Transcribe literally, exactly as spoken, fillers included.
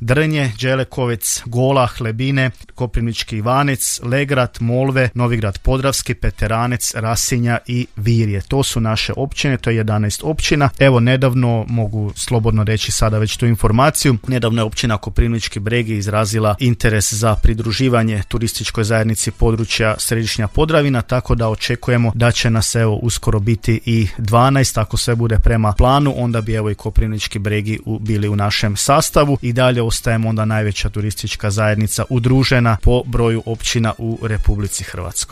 Drnje, Đelekovec, Gola, Hlebine, Koprivnički Ivanec, Legrad, Molve, Novigrad Podravski, Peteranec, Rasinja i Virje. To su naše općine, to je jedanaest općina. Evo, nedavno, mogu slobodno reći sada već tu informaciju, nedavno je općina Koprivnički Bregi izrazila interes za pridruživanje turističkoj zajednici područja Središnja Podravina, tako da očekujemo da će nas evo uskoro biti i dvanaest, ako sve bude prema planu, onda bi evo i Koprivnički Bregi u, bili u našem sastavu i dalje ostajemo onda najveća turistička zajednica udružena po broju općina u Republici Hrvatskoj.